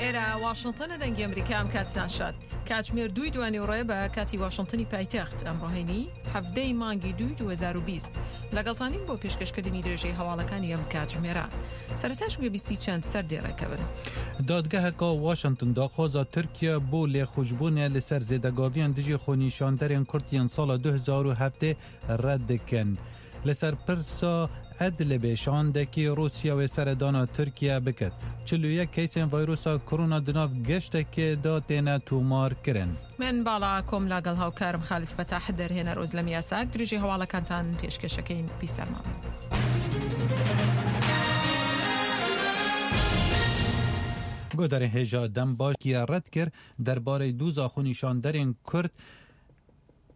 ئێرە واشنتنە دەنگی ئەمریکا ئەم کاتتان شاد. کاتژمێر دووی دوانیوڕێ بە کاتی واشنتنی پایتەخت ئەمڕۆ هەینی حەڤدەی مانگی دووی 2020 لەگەڵتانین بۆ پێشکەشکردنی درێژەی هەواڵەکانی ئەم کاتژمێرە. سەرەتاش گوێبیستی چەند سەردێڕێکە بن. دادگeheka Washington daxwaza Tirkiye bo lêxweşbûnê li ser zêdegaviyên dijî xwenîşanderên Kurd yên sala 2007 red dikin. Li ser pirsa Edlibê şandekî Rûsya wê seredana Tirkiye biket. 41 keysên vayrosa korona di nav geştekê de têne tomarkirin. من باڵا کۆم لاگەڵ هاوکارم خالد فەتاح دەرهێنەر ئۆزلەم یاساک درێژەی هەواڵەکانتان پێشکەشەکەین بیسەرمان بن. Guhdarên hêja dem baş red kir derbarê doza xwenîşanderên Kurd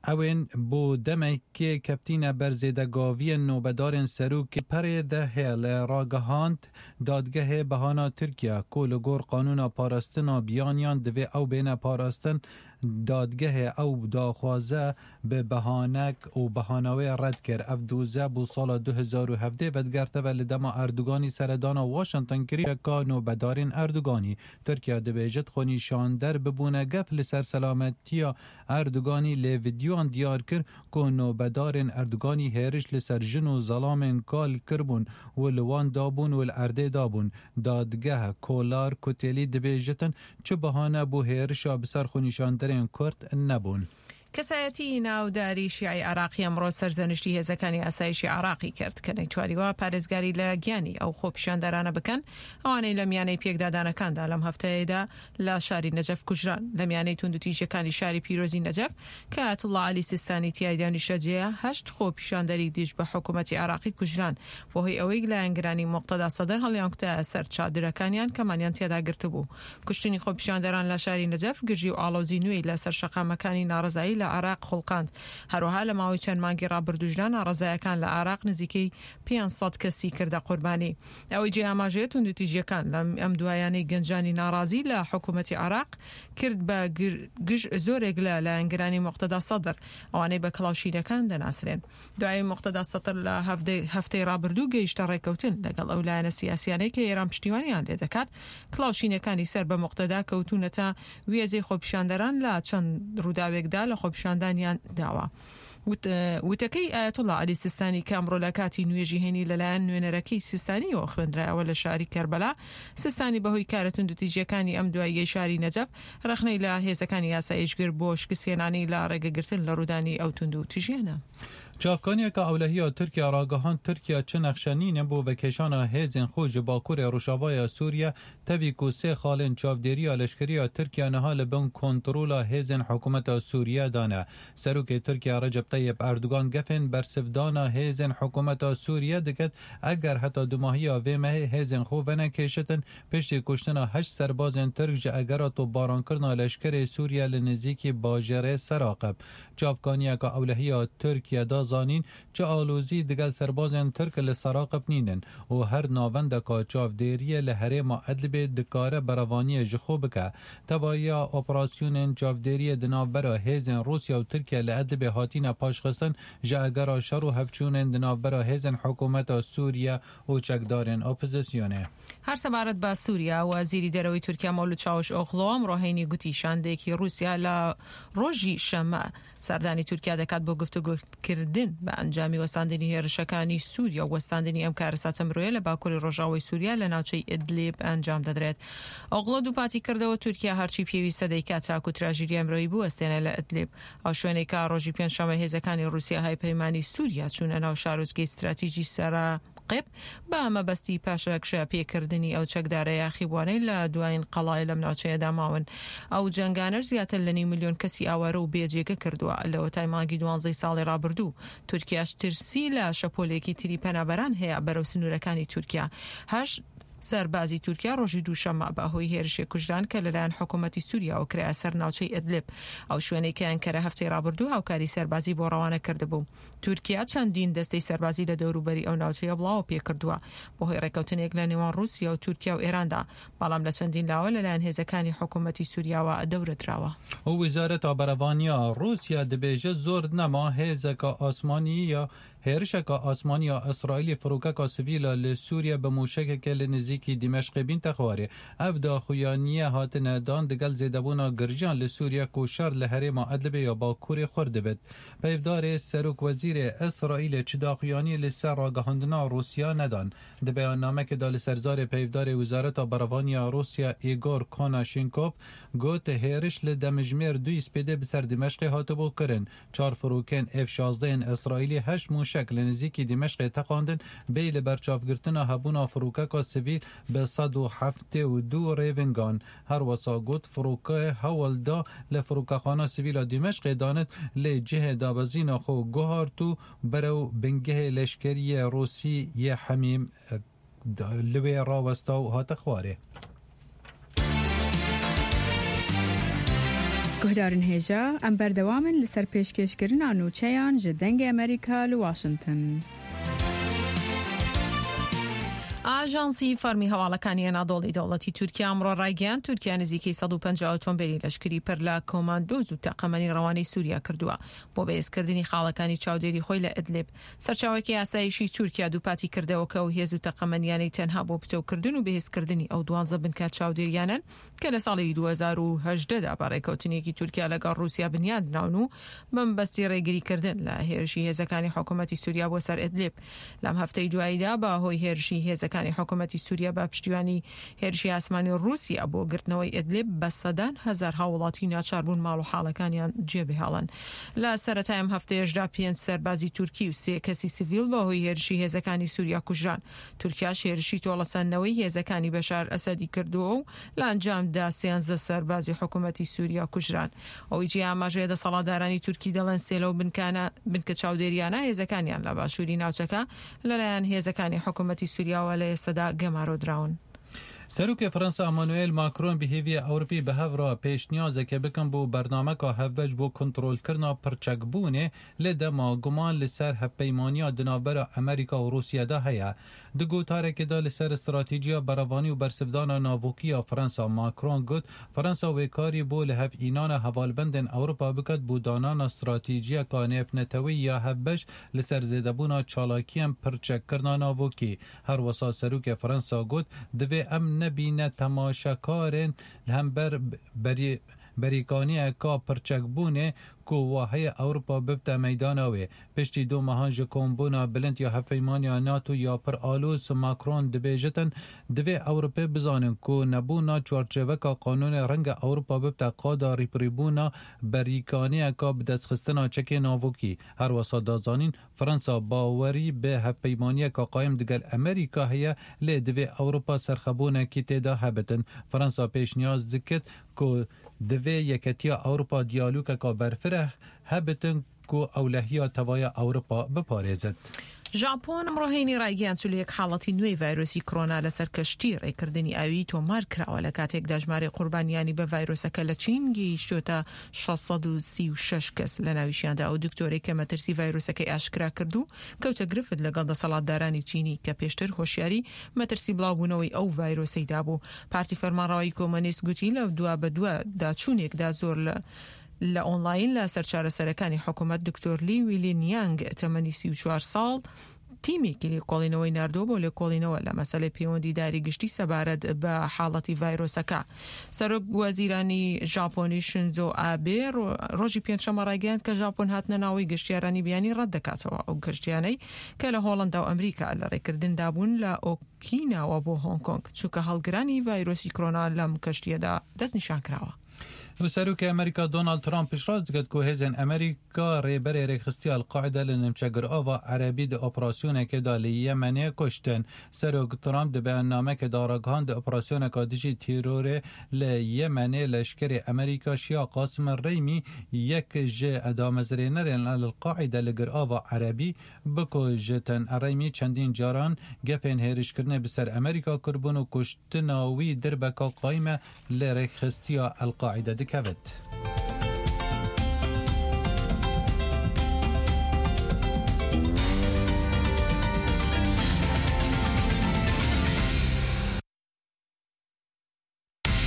Ewên bo demekê keftîne ber zêdegaviyên nobedarên serokê Perê The Hill ragihand dadgehê behana Tirkiye ku li gor qanûna parastina biyaniyan divê ew bêne parastin dadgehê ew daxwaze bi behanek û behana wê red kir. Ev doze bo sala 2017 vedigerteve li dema Erdoganî seredana Washington kirî ka nobedarên Erdoganî. Tirkiye dibêjit xwenîşander bibûne gef li ser selametiya Erdoganî lê vîdyoyan diyar kir ku nobedarên Erdoganî hêriş li ser jin û zelamên kal kiribûn û li wan dabûn û li erdê dabûn. Dadgeh Kolar Kutêlî dibêjitin çi bihane bo hêrişa bi ser xwenîşanderên Kurd nebûn. کەسایەتیی ناوداری شیعەی عێراقی ئەمڕۆ سەرزەنشتی هێزەکانی ئاسایشی عێراقی کرد کە نەیتوانیوە پارێزگاری لە گیانی ئەو خۆپیشاندەرانە بکەن ئەوانەی لە میانەی پێکدادانەکاندا لەم هەفتەیەدا لە شاری نەجەف کوژران. لە میانەی توندوتیژیەکانی شاری پیرۆزی نەجەف کە ئایەتوڵڵا عەلی سیستانی تیایدا نیشتەجێیە، هەشت خۆپیشاندەری دژ بە حکومەتی عێراقی کوژران بەهۆی ئەوەی لایەنگرانی موقتەدا سەدر هەڵیانکوتایە سەر چادرەکانیان کە مانیان تیادا گرتبوو. کوشتنی خۆپیشاندەران لە شاری نەجەف گرژی و ئاڵۆزی نوێی لە سەر شەقامەکانی ناڕەزایی لە عێراق خوڵقاند. هەروەها لە ماوەی چەند مانگی ڕابردووشدا ناڕەزایەکان لە عێراق نزیکەی 500 کەسی کردە قوربانی. ئەوەی جێی ئاماژەیە توندوتیژیەکان لەم ئەم دوایانەی گەنجانی ناڕازی لە حکومەتی عێراق کرد بە گژ زۆرێک لە لایەنگرانی موقتەدا سەدر ئەوانەی بە کڵاوشینەکان دەناسرێن. دوای موقتەدا سەدر لە هەفتەی ڕابردوو گەیشتە ڕێککەوتن لەگەڵ ئەو لایەنە سیاسیانەی کە ئێران پشتیوانیان لێدەکات، کڵاوشینەکانی سەر بە موقتەدا کەوتوونەتە وێزەی خۆپیشاندەران لە چەند ڕووداوێکدا لە خۆپیشاندانیان داوە. وتەکەی ئایەتوڵا عەلی سیستانی کە ئەمڕۆ لە کاتی نوێژی هەینی لەلایەن نوێنەرەکەی سیستانیەوە خوێندرایەوە لە شاری کەربەلا، سیستانی بەهۆی کارە توندوتیژیەکانی ئەم دواییەی شاری نەجەف ڕەخنەی لە هێزەکانی ئاسایش گرت بۆ شکستهێنانی لە ڕێگەگرتن لە ڕوودانی ئەو توندوتیژیانە. Çavkaniyeke ewlehiya Tirkiye ragihand Tirkiye çi nexşe nîne bo vekêşana hêzên xwe ji bakurê rojavaya Sûriye tevî ku sê xalên çavdêriya leşkeriya Tirkiye niha li bin kontrola hêzên hikûmeta Sûriye de ne. Serokê Tirkiye Recep Tayyip Erdogan gefên bersivdana hêzên hikûmeta Sûriye diket eger heta dumahiya vê mehê hêzên xwe venekêşitin piştî kuştina heşt serbazên Tirk ji egera topbarankirina leşkerê Sûriye li nêzîkî bajarê Seraqib. Çavkaniyeke ewlehiya Tirkiye da zanîn çi alozî digel serbazên Tirk li Seraqib nînin û her navendeka çavdêriyê li herêma Edlibê dikare berevaniyê ji xwe bike. Tevayiya operasyonên çavdêriyê di navbera hêzên Rûsya û Tirkiye li Edlibê hatine paşxistin ji egera şer û hevçûnên di navbera hêzên hikûmeta Sûriye û çekdarên opozisyonê. هەر سەبارەت بە سووریا، وەزیری دەرەوەی تورکیا مەولود چاوشئۆغڵۆ ئەمڕۆ هەینی گوتی شاندێکی ڕووسیا لە ڕۆژی شەممە سەردانی تورکیا دەکات بۆ گفتوگۆکردن بە ئەنجامی وەستاندنی هێرشەکانی سووریا و وەستاندنی ئەم کارەساتە مرۆیە لە باکووری ڕۆژئاوای سووریا لە ناوچەی ئیدلیب ئەنجام دەدرێت. ئۆغڵۆ دووپاتی کردەوە تورکیا هەرچی پێویستە دەیکات تاکو تراژیدیای مرۆیی بوەستێنێ لە ئیدلیب، ئەو شوێنەی کە ڕۆژی پێنجشەممە هێزەکانی ڕووسیا هاوپەیمانی سووریا چوونە ناو شارۆچکەی ستراتیجی سەراقب بە مەبەستی پاشەکشە پێکردنی ئەو چەکدارە یاخیبووانەی لە دوایین قەڵای لەم ناوچەیەدا ماون. ئەو جەنگانەش زیاتر لە نیو ملیۆن کەسی ئاوارە و بێ جێگە کردووە لەوەتای مانگی دوانزەی ساڵی ڕابردوو. تورکیاش ترسی لە شەپۆلێکی تری پەنابەران هەیە بەرەو سنوورەکانی تورکیا. هەشت سەربازی تورکیا ڕۆژی دووشەممە بە هۆی هێرشێک کوژران کە لەلایەن حکوومەتی سووریاوە کرایە سەر ناوچەی ئیدلیب، ئەو شوێنەی کە ئەنکەرە هەفتەی ڕابردوو هاوکاری سەربازی بۆ ڕەوانە کردبوو. تورکیا چەندین دەستەی سەربازی لە دەوروبەری ئەو ناوچەیە بڵاوە پێکردووە بەهۆی ڕێککەوتنێک لە نێوان ڕووسیا و تورکیا و ئێراندا، بەڵام لە چەندین لاوە لەلایەن هێزەکانی حکوومەتی سووریاوە دەورە دراوە. Wezareta Berevaniya Rûsya dibêje zor nema hêzeke asmanî ya. Hêrişeka asmanî ya Îsraîlê firokeka sivîla li Sûriye bi mûşekeke li nêzîkî Dîmeşqê bînte xwarê. Ev daxuyaniye hatine dan digel zêdebûna girjiyan li Sûriye ku şer li herêma Idlibê ya Bakurê xurt dibit. Peyvdarê Serokwezîrê Îsraîlê çi daxuyanî li ser ragihandina Rûsya nedan. Di beyannamekê de li ser zarê peyvdarê Wizareta Berevaniya Rûsya Igor Konashenkov got, Hêriş li demijmêr duyî spêdê bi ser Dîmeşqê hatibû kirin. Çar firokên F 16 ên Îsraîlî heşt mûşek li nêzîkî Dîmeşqê teqandin bêyî li berçavgirtina hebûna firokeka sivîl bi 172 rêvingan. Her wisa got firokê hewl da li firokexana sivîl a Dîmeşqê danit lê cihê dabezîna xwe guhart û berew bingehê leşkerî yê Rûsî yê Hemîm li wê rawesta û hate xwarê. Guhdarên hêja, em berdewam in li ser pêşkêşkirina nûçeyan ji Dengê Amerîka li Washington. ئاژانسی فەرمی هەواڵەکانی ئەنادۆڵی دەوڵەتی تورکیا ئەمڕۆ ڕایگەیاند، تورکیا نزیکەی 150 ئۆتۆمبێلی لەشکری پر لە کۆماندۆز و تەقەمەنی ڕەوانەی سوریا کردووە بۆ بەهێزکردنی خاڵەکانی چاودێری خۆی لە ئیدلیب. سەرچاوەیەکی ئاسایشی تورکیا دووپاتی کردەوە کە ئەو هێز و تەقەمەنیانەی تەنها بۆ پتەوکردن و بەهێزکردنی ئەو دوانزە بنکە چاودێریانەن کە لە ساڵی 2018 دا بە ڕێکەوتنێکی تورکیا لەگەڵ ڕووسیا بنیادنراون و بە مەبەستی ڕێگریکردن لە هێرشی هێزەکانی حکوومەتی سووریا بۆ سەر ئیدلیب. لەم هەفتەی دواییدا بە هۆی هێرشی هێزەکانی حکوومەتی سووریا بە پشتیوانی هێرشی ئاسمانی ڕووسیا بۆ گرتنەوەی ئیدلیب بە سەدان هەزار هاووڵاتی ناچار بوون ماڵ و حاڵەکانیان جێبهێڵن. لە سەرەتای ئەم هەفتەیەشدا پێنج سەربازی تورکی و سێ کەسی سڤیل بە هۆی هێرشی هێزەکانی سووریا کوژران. تورکیاش هێرشی تۆڵەسەندنەوەی هێزەکانی بەشار ئەسەدی کردووە و لە ئەنجامدا سیانزە سەربازی حکوومەتی سووریا کوژران. ئەوەی جێی ئاماژەیە دەسەڵاتدارانی تورکی دەڵێن سێ لەو بنکانە بنکە چاودێریانە هێزەکانیان لە باشووری ناوچەکە لەلایەن هێزەکانی حکوومەتی سووریاوە لە ئێستەدا گەمارۆ دراون. سەرۆکی فەرەنسا ئەمانوێل ماکرۆن بە هێڤیە ئەوروپی بە هەڤ را پێشنیازێکێ بکەن بۆ بەرنامەکا هەڤبەش بۆ کونترۆلکردنا پڕچەکبوونێ لە دەما گومان li ser hevpeymaniya di navbera Amerîka û Rûsya de heye. Di gotarekê de li ser stratejîya berevanî û bersivdana navokî ya Fransa, Macron got, Fransa wê karî bo lihevînana hevalbendên Ewropa biket bo danana stratejiyeka nêvneteweyî ya hevbeş li ser zêdebûna çalakiyên pirçekkirina navokî. Her wisa Serokê Fransa got, Divê em nebîne temaşekarên li hember berîkaniyeka pirçekbûnê ku waheye Ewropa bibite meydana wê. Piştî du mehan ji kombûna bilind ya Hevpeymaniya NATO ya pir aloz, Macron dibêjitin, Divê Ewropê bizanin ku nebûna çarçêveka qanûnê renge Ewropa bibite qada rîpirîbûna berîkaniyeka bidestxistina çekê navokî. Her wisa da zanîn, Fransa bawerî bi hevpeymaniyeka qayim digel Amerîka heye lê divê Ewropa serxebûnekî tê de hebitin. Fransa pêşniyaz dikit ku divê Yeketiya Ewropa diyalogeka berfireh hebitin ku ewlehiya tevaya Ewropa biparêzit. ژاپۆن ئەمڕۆ هەینی ڕایگەیاند 41 حاڵەتی نوێی ڤایرۆسی کۆرۆنا لەسەر کەشتی ڕێکردنی ئاویی تۆمار کراوە لە کاتێکدا ژمارەی قوربانیانی بە ڤایرۆسەکە لە چین گەیشتۆتە 636 کەس لە ناویشیاندا ئەو دکتۆرەی کە مەترسی ڤایرۆسەکەی ئاشکرا کرد و کەوتە گرفت لەگەڵ دەسەڵاتدارانی چینی کە پێشتر هۆشیاری مەترسی بڵاوبوونەوەی ئەو ڤایرۆسەی دابوو. پارتی فەرمانڕەوایی کۆمۆنیست گوتی لە دوابەدواداچوونێکدا زۆر لە لە ئۆنڵاین لە سەر چارەسەرەکانی حکومەت دکتۆر لی ویلین یانگ تەمەنی 34 ساڵ تیمێکی لێکۆڵینەوەی ناردووە بۆ لێکۆڵینەوە لە مەسەلەی پەیوەندیداری گشتی سەبارەت بە حاڵەتی ڤایرۆسەکە. سەرۆک وەزیرانی ژاپۆنی شینزۆ ئابێ ڕۆژی پێنجشەممە ڕایگەیاند کە ژاپۆن هاتنە ناوەی گەشتیارانی بیانی ڕەت دەکاتەوە ئەو کەشتیانەی کە لە هۆڵەندا و ئەمریکا لە ڕێکردندا بوون لە ئۆکیناوە بۆ هۆنگ کۆنگ چونکە هەڵگرانی ڤایرۆسی کرۆنا لەم کەشتیەدا دەستنیشان کراوە. سەرۆکی ئەمریکا دۆناڵد ترامپ پشتڕاست دکرد کو هێزێن ئەمریکا رێبەرێ رێکخستیا القاعدە لە نمچەگرئاڤا عەرەبی di operasyonekê de li Yemenê kuştin. Serok Trump di beyannamekê de ragihand di operasyoneka dijî têrorê li Yemenê leşkerê Amerîka Şia Qasim Reymî yek ji damezrênerên El-Qaîde li Girava Erebî bikujtin. Reymî çendîn caran gefên hêrişkirinê bi ser Amerîka kiribûn û kuştina wî dirbeka qayîm e li rêkxistiya El-Qaîde dikevit.